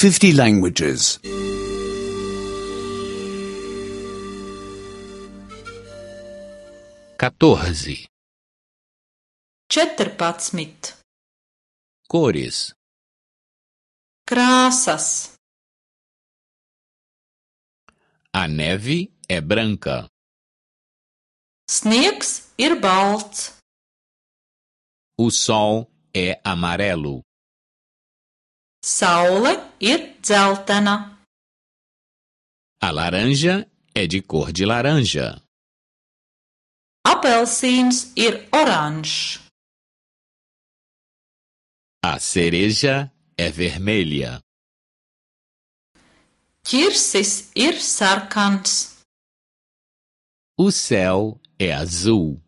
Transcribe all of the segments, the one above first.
50 languages. 14. 14. Cores. Krāsas. A neve é branca. Sniegs ir balts. O sol é amarelo. Saule ir dzeltena. A laranja é de cor de laranja. Apelsīns ir oranžs. A cereja é vermelha. Ķirsis ir sarkans. O céu é azul.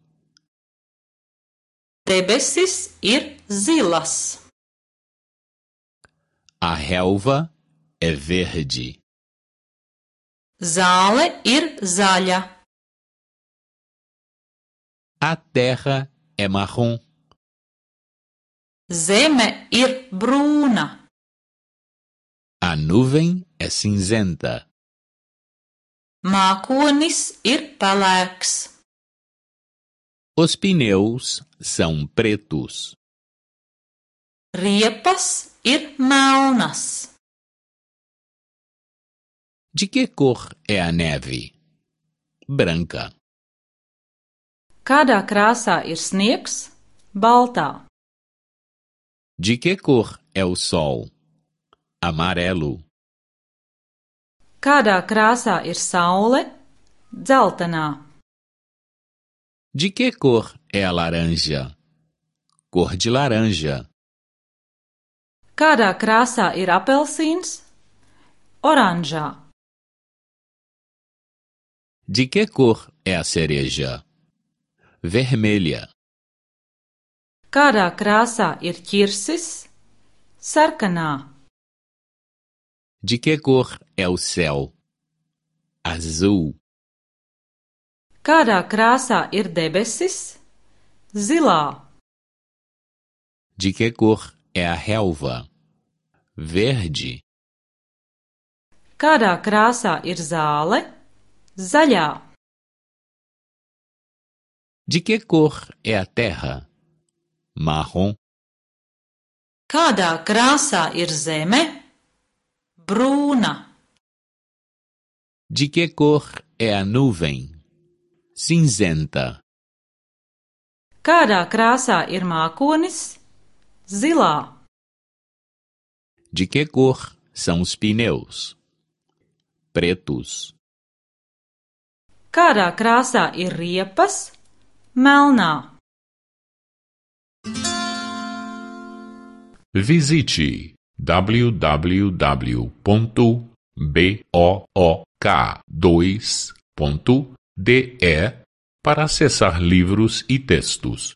Debesis ir zilas. A relva é verde. Zāle ir zaļa. A terra é marrom. Zeme ir brūna. A nuvem é cinzenta. Mākonis ir pelēks. Os pneus são pretos. Riepas ir melnas. De que cor é a neve? Branca. Kādā krāsā ir sniegs? Baltā. De que cor é o sol? Amarelo. Kādā krāsā ir saule? Dzeltenā. De que cor é a laranja? Cor de laranja. Kādā krāsā ir apelsīns? Oranžā. De que cor é a cereja? Vermelha. Kādā krāsā ir ķirsis? Sarkanā. De que cor é o céu? Azul. Kādā krāsā ir debesis? Zilā. De que cor é a relva? Verde. Kādā krāsā ir zāle? Zaļā. De que cor é a terra? Marrom. Kādā krāsā ir zeme? Brūna. De que cor é a nuvem? Cinzenta. Kādā krāsā ir mākonis? Zilā. De que cor são os pneus? Pretos. Kādā krāsā ir riepas? Melnā. Visite www.book2.de para acessar livros e textos.